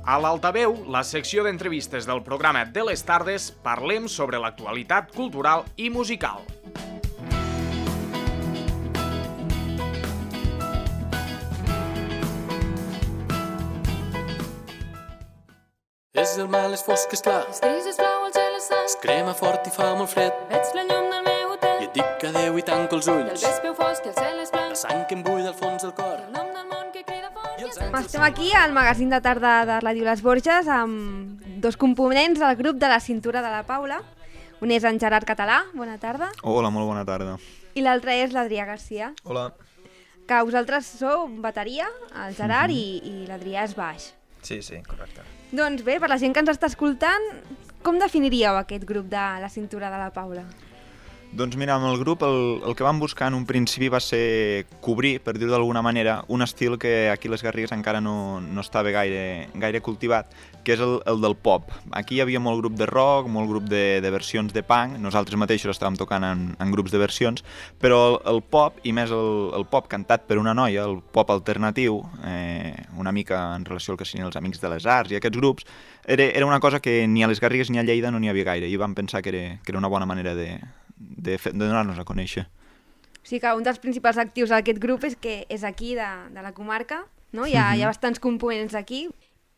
A l'Altaveu, la secció d'entrevistes del programa de les tardes, parlem sobre l'actualitat cultural i musical. És el mal, és fosc, és clar. És gris, és blau, el cel és sant. Es crema fort i fa molt fred. Veig la llum del meu hotel. I et dic adeu i tanco els I el ulls. vespre fosc, el cel és blanc. La sang que em bull al fons del cor. El nom del món que crida fort i els Estem aquí al magazín de tarda de Ràdio Les Borges amb dos components del grup de la cintura de la Paula. Un és en Gerard Català, bona tarda, Hola, molt bona tarda. i l'altre és l'Adrià Garcia, Hola. que vosaltres sou bateria, el Gerard, i l'Adrià és baix. Sí, correcte. Doncs bé, per la gent que ens està escoltant, com definiríeu aquest grup de la cintura de la Paula? Doncs mira, amb el grup el que vam buscar en un principi va ser cobrir, per dir-ho d'alguna manera, un estil que aquí a les Garrigues encara no estava gaire cultivat, que és el del pop. Aquí hi havia molt grup de rock, molt grup de versions de punk, nosaltres mateixos estàvem tocant en grups de versions, però el pop, i més el pop cantat per una noia, el pop alternatiu, una mica en relació al que serien els Amics de les Arts i aquests grups, era una cosa que ni a les Garrigues ni a Lleida no n'hi havia gaire, i vam pensar que era una bona manera de donar-nos a conèixer. O sigui que un dels principals actius d'aquest grup és que és aquí, de la comarca, no? Hi ha bastants components aquí,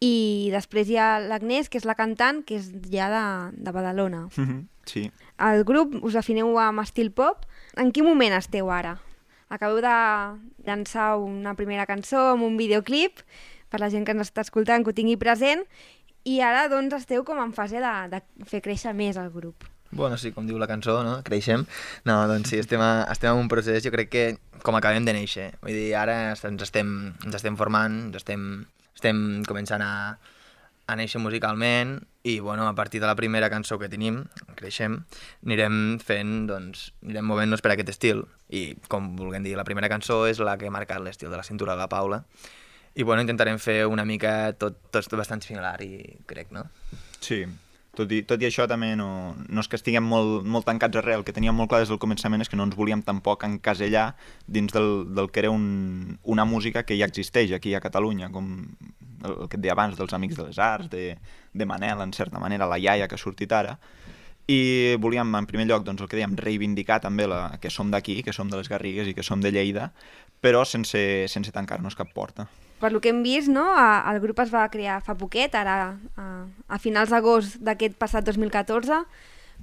i després hi ha l'Agnès, que és la cantant, que és ja de Badalona. Sí. El grup us defineu amb estil pop. En quin moment esteu ara? Acabeu de llançar una primera cançó amb un videoclip, per la gent que ens està escoltant, que ho tingui present, i ara doncs esteu com en fase de fer créixer més el grup. Bueno, sí, com diu la cançó, no? Creixem. No, doncs sí, estem en un procés, jo crec que com acabem de néixer. Vull dir, ara ens estem formant, estem començant a néixer musicalment i, bueno, a partir de la primera cançó que tenim, Creixem, anirem movent-nos per aquest estil. I, com vulguem dir, la primera cançó és la que ha marcat l'estil de la cintura de la Paula. I, bueno, intentarem fer una mica tot bastant similar, i crec, no? Sí. Tot i això també no és que estiguem molt tancats arrel. El que teníem molt clar des del començament és que no ens volíem tampoc encasellar dins del que era una música que ja existeix aquí a Catalunya, com el que et deia abans dels Amics de les Arts, de Manel, en certa manera, la iaia que ha sortit ara. I volíem, en primer lloc, doncs, el que dèiem, reivindicar també que som d'aquí, que som de les Garrigues i que som de Lleida, però sense tancar-nos cap porta. Per lo que hem vist, no? El grup es va crear fa poquet, ara a finals d'agost d'aquest passat 2014.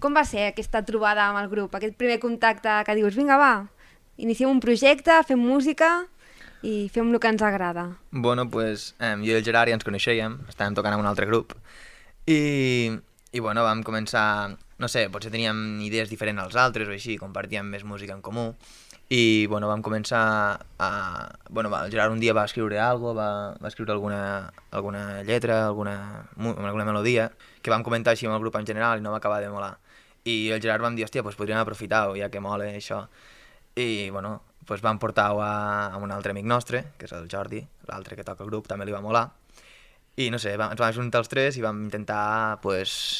Com va ser aquesta trobada amb el grup, aquest primer contacte que dius, vinga, va, iniciem un projecte, fem música i fem el que ens agrada? Bueno, doncs jo i el Gerard ja ens coneixíem, estàvem tocant amb un altre grup i bueno, vam començar, no sé, potser teníem idees diferents als altres o així, compartíem més música en comú. I bueno, vam començar el Gerard un dia va escriure alguna cosa, va escriure alguna lletra, alguna melodia, que vam comentar així amb el grup en general i no va acabar de molar. I el Gerard vam dir, hòstia, doncs podríem aprofitar-ho, ja que mola això. I bueno, doncs vam portar-ho a un altre amic nostre, que és el Jordi, l'altre que toca el grup, també li va molar. I no sé, ens vam ajuntar els tres i vam intentar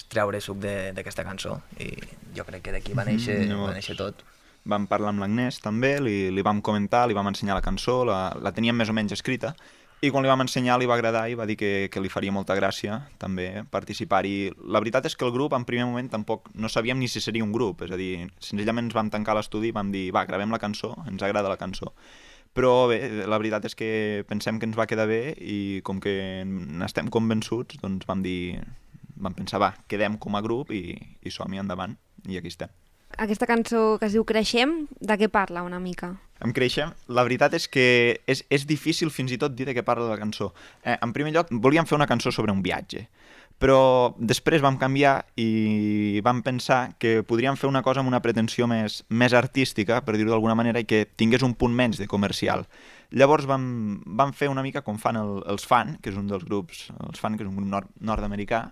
treure suc d'aquesta cançó. I jo crec que d'aquí va néixer tot. Vam parlar amb l'Agnès també, li vam comentar, li vam ensenyar la cançó, la teníem més o menys escrita, i quan li vam ensenyar li va agradar i va dir que li faria molta gràcia també participar-hi. La veritat és que el grup en primer moment tampoc no sabíem ni si seria un grup, és a dir, senzillament ens vam tancar a l'estudi i vam dir, va, gravem la cançó, ens agrada la cançó. Però bé, la veritat és que pensem que ens va quedar bé i com que n'estem convençuts, doncs vam pensar, va, quedem com a grup i som-hi endavant, i aquí estem. Aquesta cançó que es diu Creixem, de què parla una mica? En Creixem, la veritat és que és difícil fins i tot dir de què parla la cançó. En primer lloc, volíem fer una cançó sobre un viatge, però després vam canviar i vam pensar que podríem fer una cosa amb una pretensió més artística, per dir-ho d'alguna manera, i que tingués un punt menys de comercial. Llavors vam fer una mica com fan els Fan, que és un dels grups, els Fan, que és un grup nord-americà,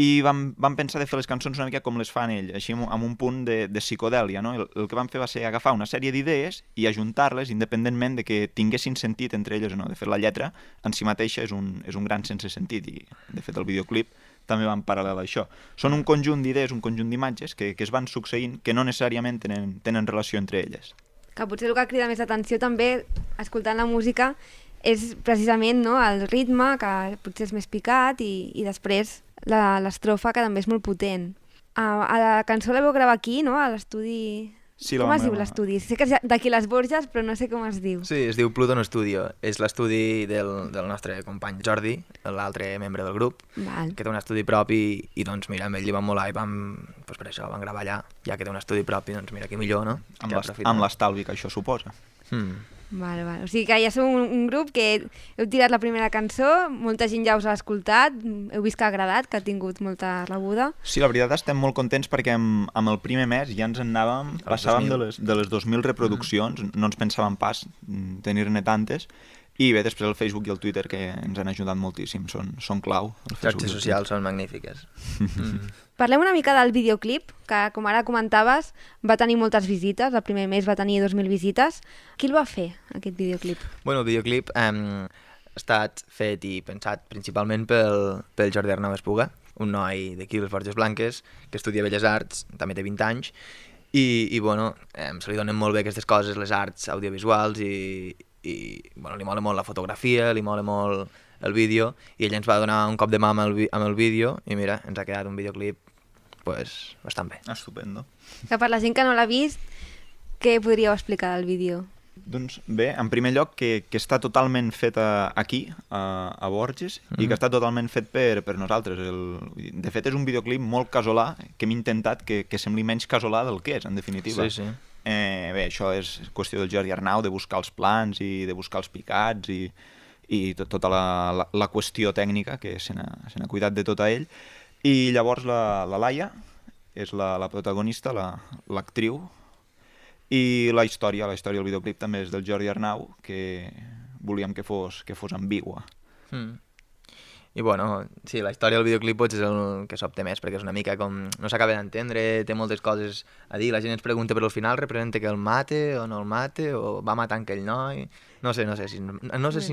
i vam pensar de fer les cançons una mica com les fan ell, així amb un punt de psicodèlia, no? El que vam fer va ser agafar una sèrie d'idees i ajuntar-les independentment de que tinguessin sentit entre elles o no. De fet, la lletra en si mateixa és un gran sense sentit i, de fet, el videoclip també va en paral·lel a això. Són un conjunt d'idees, un conjunt d'imatges que es van succeint que no necessàriament tenen relació entre elles. Que potser el que crida més atenció també, escoltant la música, és precisament, no, el ritme, que potser és més picat, i després l'estrofa, que també és molt potent. A la cançó la vau gravar aquí, no?, a l'estudi... Sí, com es diu l'estudi? Sé que és d'aquí les Borges, però no sé com es diu. Sí, es diu Pluton Studio. És l'estudi del nostre company Jordi, l'altre membre del grup, Val. que té un estudi propi i doncs mira, amb ell li vam molar i doncs per això vam gravar allà. Ja que té un estudi propi, doncs mira, qui millor, no? Amb l'estalvi que això suposa. Vale. O sigui que ja sou un grup que heu tirat la primera cançó, molta gent ja us ha escoltat, heu vist que ha agradat, que ha tingut molta rebuda. Sí, la veritat estem molt contents perquè amb el primer mes ja ens en anàvem, passàvem de les 2.000 reproduccions, no ens pensàvem pas tenir-ne tantes, i bé, després el Facebook i el Twitter, que ens han ajudat moltíssim, són clau. Xarxes socials són magnífiques. Parlem una mica del videoclip, que com ara comentaves va tenir moltes visites, el primer mes va tenir 2.000 visites. Qui el va fer, aquest videoclip? Bueno, el videoclip ha estat fet i pensat principalment pel Jordi Arnau Espuga, un noi d'aquí, les Borges Blanques, que estudia Belles Arts, també té 20 anys, i bueno, se li donen molt bé aquestes coses, les arts audiovisuals, i bueno, li mola molt la fotografia, li mola molt el vídeo, i ell ens va donar un cop de mà amb el vídeo, i mira, ens ha quedat un videoclip pues, bastant bé. Estupendo. Que per la gent que no l'ha vist, què podríeu explicar del vídeo? Doncs bé, en primer lloc, que està totalment fet aquí, a Borges, i que està totalment fet per nosaltres. De fet, és un videoclip molt casolà, que hem intentat que sembli menys casolà del que és, en definitiva. Sí. Bé, això és qüestió del Jordi Arnau, de buscar els plans i de buscar els picats i tota la qüestió tècnica, que se n'ha cuidat de tota ell. I llavors la Laia és la protagonista, l'actriu, i la història del videoclip també és del Jordi Arnau, que volíem que fos ambigua. I bueno, sí, la història del videoclip potser és el que sobte més, perquè és una mica com... no s'acaba d'entendre, té moltes coses a dir, la gent ens pregunta però al final representa que el mate o no el mate, o va matar aquell noi... No sé si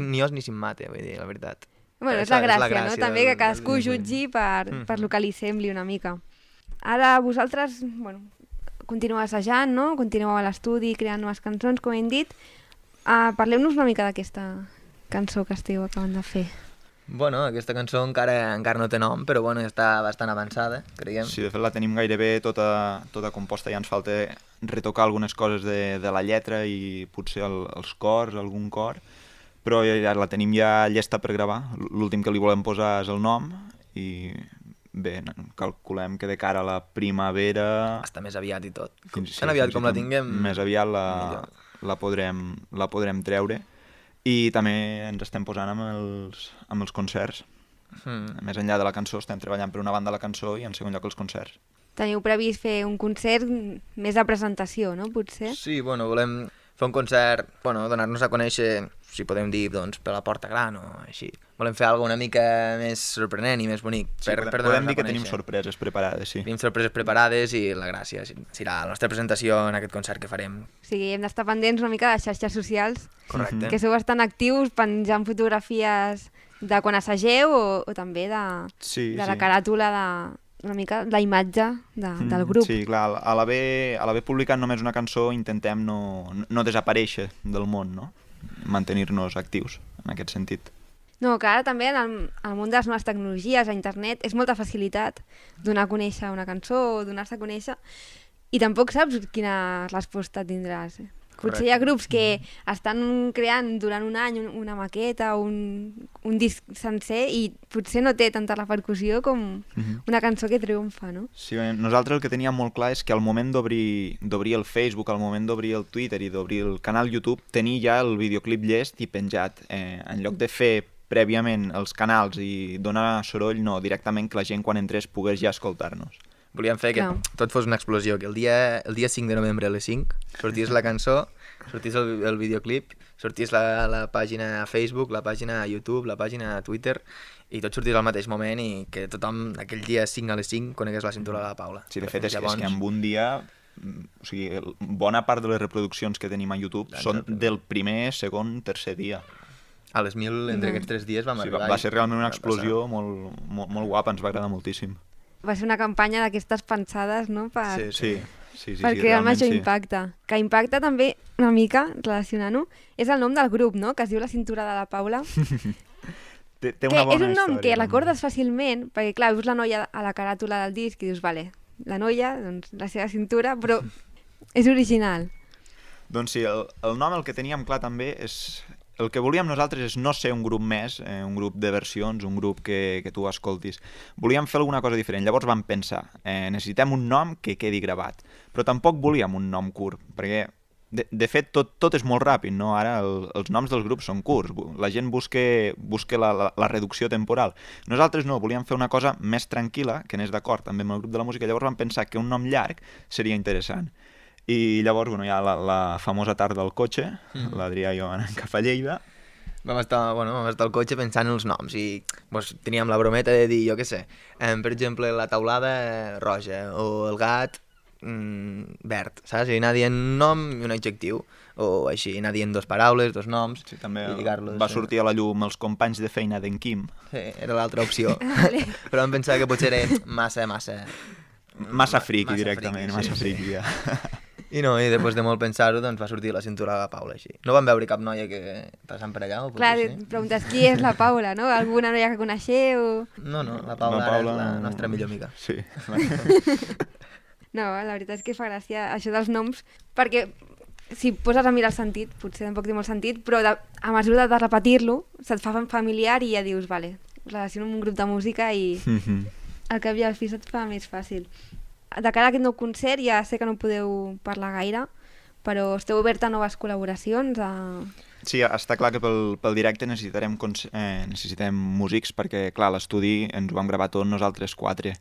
ni os ni si em mate, vull dir, la veritat. Bueno, és la gràcia, no? També que cadascú jutgi per lo que li sembli una mica. Ara vosaltres, bueno, continueu assajant, no? Continueu a l'estudi creant noves cançons, com hem dit. Parleu-nos una mica d'aquesta cançó que esteu acabant de fer. Bueno, aquesta cançó encara no té nom, però bueno, està bastant avançada, creiem. Sí, de fet la tenim gairebé tota composta, ja ens falta retocar algunes coses de la lletra i potser els cors, algun cor, però ja la tenim ja llesta per gravar. L'últim que li volem posar és el nom i bé, calculem que de cara a la primavera... Està més aviat i tot. Sí, tan aviat com la tinguem... Més aviat la podrem treure. I també ens estem posant amb els concerts. Més enllà de la cançó, estem treballant per una banda la cançó i en segon lloc els concerts. Teniu previst fer un concert més de presentació, no? Potser? Sí, bueno, volem fer un concert, bueno, donar-nos a conèixer, si podem dir, doncs, per la Porta Gran o així. Volem fer alguna una mica més sorprenent i més bonic. Sí, podem dir que tenim sorpreses preparades, sí. Tenim sorpreses preparades i la gràcia serà la nostra presentació en aquest concert que farem. O sigui, hem d'estar pendents una mica de xarxes socials. Correcte. Que sou bastant actius penjant fotografies de quan assageu o també de la caràtula una mica la imatge del grup. Sí, clar, a l'haver publicat només una cançó intentem no desaparèixer del món, no? Mantenir-nos actius en aquest sentit. No, que ara també en el món de les noves tecnologies, a internet, és molta facilitat donar a conèixer una cançó o donar-se a conèixer i tampoc saps quina resposta tindràs. Potser hi ha grups que estan creant durant un any una maqueta o un disc sencer i potser no té tanta repercussió com una cançó que triomfa, no? Sí, nosaltres el que teníem molt clar és que al moment d'obrir el Facebook, al moment d'obrir el Twitter i d'obrir el canal YouTube, tenir ja el videoclip llest i penjat. En lloc de fer prèviament els canals i donar soroll, no, directament que la gent quan entrés pogués ja escoltar-nos. Volíem fer que tot fos una explosió, que el dia 5 de novembre a les 5 sortís la cançó, sortís el videoclip, sortís la pàgina a Facebook, la pàgina a YouTube, la pàgina a Twitter, i tot sortís al mateix moment i que tothom aquell dia 5 a les 5 conegués la cintura de la Paula. Sí, de fet és que en un dia, o sigui, bona part de les reproduccions que tenim a YouTube són del primer, segon, tercer dia. A les 1.000 entre aquests 3 dies vam arribar. Va ser realment una explosió molt guapa, ens va agradar moltíssim. Va ser una campanya d'aquestes pensades, no?, per Sí, crear el realment major sí. impacte. Que impacta també una mica, relacionant-ho, és el nom del grup, no?, que es diu La cintura de la Paula. Té Que una bona és un nom història, que no? recordes fàcilment, perquè clar, veus la noia a la caràtula del disc i dius, vale, la noia, doncs la seva cintura, però és original. Doncs sí, el nom el que teníem clar també és... El que volíem nosaltres és no ser un grup més, un grup de versions, un grup que tu escoltis. Volíem fer alguna cosa diferent. Llavors vam pensar, necessitem un nom que quedi gravat. Però tampoc volíem un nom curt, perquè de fet tot és molt ràpid, no? Ara els noms dels grups són curts. La gent busca la reducció temporal. Nosaltres no, volíem fer una cosa més tranquil·la, que anés d'acord també amb el grup de la música. Llavors vam pensar que un nom llarg seria interessant. I llavors, hi ha la famosa tarda al cotxe, l'Adrià i jo anant cap a Lleida. Vam estar al cotxe pensant en els noms i doncs, teníem la brometa de dir, jo què sé, per exemple, la taulada roja o el gat verd, saps? I anar dient un nom i un adjectiu, o així, anar dient dos paraules, dos noms, Sí, també i lligar-los. va sortir a la llum els companys de feina d'en Quim. Sí, era l'altra opció. Però vam pensar que potser era massa Friki directament, massa sí. friki, ja. I no, i després de molt pensar-ho, doncs va sortir La cintura de la Paula, així. No vam veure cap noia que passant per allà, o potser Clar, sí? preguntes qui és la Paula, no? Alguna noia que coneixeu? No, la Paula, La Paula és la no. nostra millor amiga. Sí. No, la veritat és que fa gràcia això dels noms, perquè si poses a mirar el sentit, potser tampoc té molt sentit, però a mesura de repetir-lo, se't fa familiar i ja dius, vale, relaciono amb un grup de música i al cap i al fi se't fa més fàcil. De cara a aquest nou concert, ja sé que no podeu parlar gaire, però esteu oberta a noves col·laboracions? Sí, està clar que pel directe necessitem músics perquè, clar, a l'estudi ens ho vam gravar tot nosaltres 4,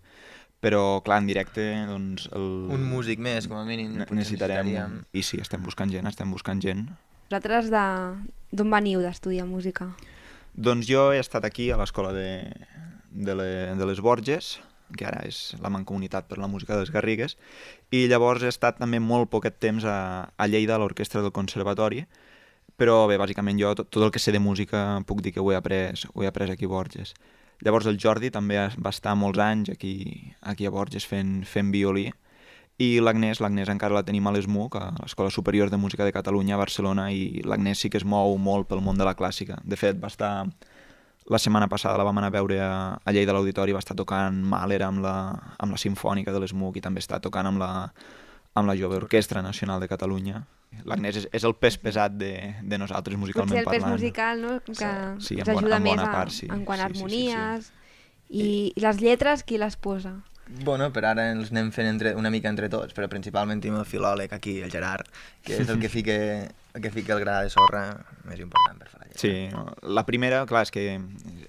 però, clar, en directe, doncs... Un músic més, com a mínim. Necessitarem... I sí, estem buscant gent. Vosaltres d'on veniu d'estudiar música? Doncs jo he estat aquí a l'escola de les Borges, que ara és la Mancomunitat per la Música de les Garrigues, i llavors he estat també molt poquet temps a Lleida, a l'orquestra del Conservatori, però bé, bàsicament jo tot el que sé de música puc dir que ho he après aquí a Borges. Llavors el Jordi també va estar molts anys aquí a Borges fent violí, i l'Agnès encara la tenim a l'ESMUC, a l'Escola Superior de Música de Catalunya a Barcelona, i l'Agnès sí que es mou molt pel món de la clàssica. De fet, va estar... La setmana passada la vam anar a veure a Lleida a l'Auditori, va estar tocant Mahler amb la Simfònica de l'ESMUC i també està tocant amb la Jove Orquestra Nacional de Catalunya. L'Agnès és el pes pesat de nosaltres musicalment parlant. Potser el pes parlant. musical, no?, que Sí, us ajuda més part, sí. en quant a harmonies. Sí. I les lletres, qui les posa? Bueno, per ara els anem fent una mica entre tots, però principalment tenim el filòleg aquí, el Gerard, que és el que fica el gra de sorra més important per fer la lletra. Sí, la primera, clar, és que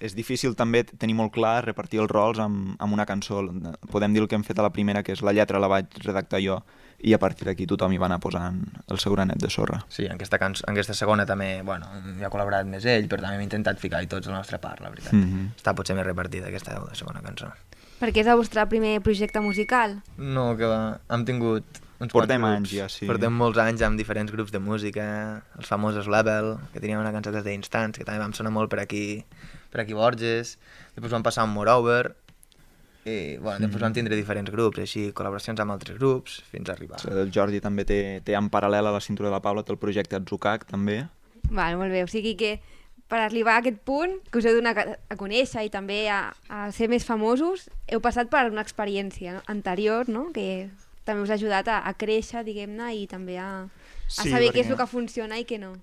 és difícil també tenir molt clar repartir els rols amb una cançó. Podem dir el que hem fet a la primera, que és la lletra la vaig redactar jo, i a partir d'aquí tothom hi va anar posant el seu granet de sorra. Sí, en aquesta segona també, bueno, hi ha col·laborat més ell, però també hem intentat ficar-hi tots la nostra part, la veritat. Està potser més repartida aquesta segona cançó. Perquè és el vostre primer projecte musical? No, que va, hem tingut uns Portem quants anys grups. ja, sí. Portem molts anys amb diferents grups de música, els famosos Level, que teníem una cançó que es deia Instants, que també vam sonar molt per aquí Borges, després vam passar amb Moreover, i bueno, després vam tindre diferents grups, així, col·laboracions amb altres grups, fins a arribar. El Jordi també té en paral·lel a la cintura de la Paula, té el projecte Atzucac, també. Val, molt bé, o sigui que per arribar a aquest punt, que us heu donat a conèixer i també a ser més famosos, heu passat per una experiència anterior, no?, que també us ha ajudat a créixer, diguem-ne, i també a saber què és el que funciona i què no.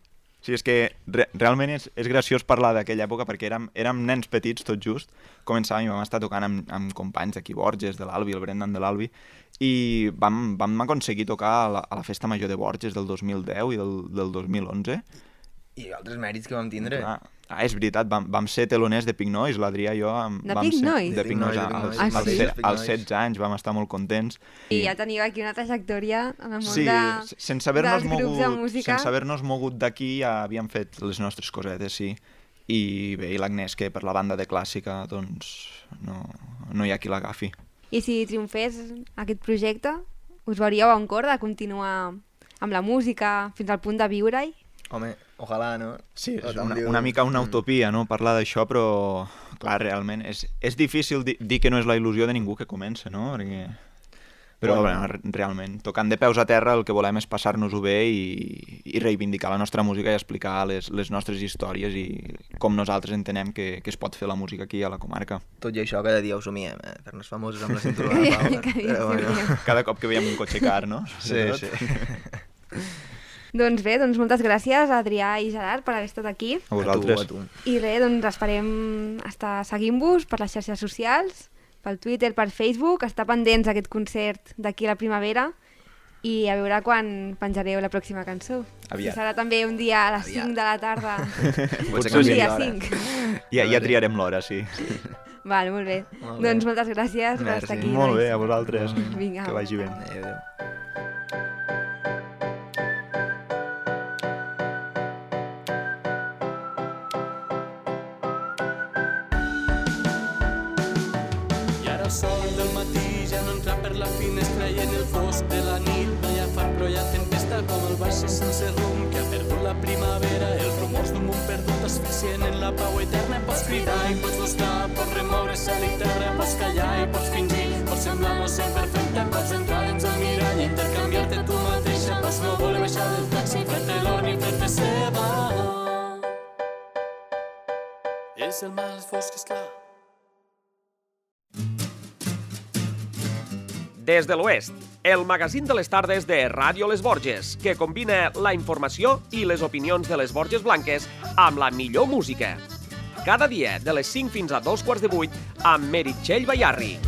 Sí, és que realment és graciós parlar d'aquella època perquè érem nens petits tot just, començàvem i vam estar tocant amb companys d'aquí Borges, de l'Albi, el Brendan de l'Albi, i vam aconseguir tocar a la Festa Major de Borges del 2010 i del 2011. I altres mèrits que vam tindre. És veritat, vam ser teloners de Pink Noise, l'Adrià i jo. De Pink Noise? De Pink Noise. Als 16 anys vam estar molt contents. I ja teniu aquí una trajectòria en el món sí, sense haver-nos mogut d'aquí ja havíem fet les nostres cosetes, sí. I bé, i l'Agnès, que per la banda de clàssica doncs no hi ha qui l'agafi. I si triomfés aquest projecte, us veuríeu en cor de continuar amb la música fins al punt de viure-hi? Home, ojalà, no? Sí, és una mica una utopia, no?, parlar d'això, però clar, realment, és difícil dir que no és la il·lusió de ningú que comença, no? Perquè... Però bueno, realment, tocant de peus a terra, el que volem és passar-nos-ho bé i reivindicar la nostra música i explicar les nostres històries i com nosaltres entenem que es pot fer la música aquí a la comarca. Tot i això, cada dia ho somiem, fer-nos famosos amb la cinturó de Paula. Però bueno. Cada cop que veiem un cotxe car, no? Sí. Doncs bé, moltes gràcies a Adrià i Gerard per haver estat aquí. A vosaltres. A tu. I res, esperem estar seguint-vos per les xarxes socials, pel Twitter, per Facebook, estar pendents d'aquest concert d'aquí a la primavera i a veure quan penjareu la pròxima cançó. Aviat. Si serà també un dia a les 5 de la tarda. Potser Un canviem dia l'hora. 5. Ja triarem l'hora, sí. Vale, molt bé. Molt bé. Doncs moltes gràcies per Merci. estar aquí. Molt bé, nois. a vosaltres. Vinga. Que vagi bé. Adéu, adéu. I ara el sol del matí ja no entra per la finestra i en el fosc de la nit no hi ha far però hi ha tempesta com el baix sense rumb que ha perdut la primavera, els rumors d'un món perdut asfixient en la pau eterna. Pots cridar i pots buscar, pots remoure cel i terra, pots callar i pots fingir, pots semblar no ser perfecte, pots entrar dins el mirall i intercanviar-te tu mateixa, pots no voler baixar del taxi, fer-te l'or ni fer-te seva. És el mal fosc, esclar. Des de l'Oest, el magazín de les tardes de Ràdio Les Borges, que combina la informació i les opinions de les Borges Blanques amb la millor música. Cada dia, de les 5 fins a 2:15, amb Meritxell Bayarri.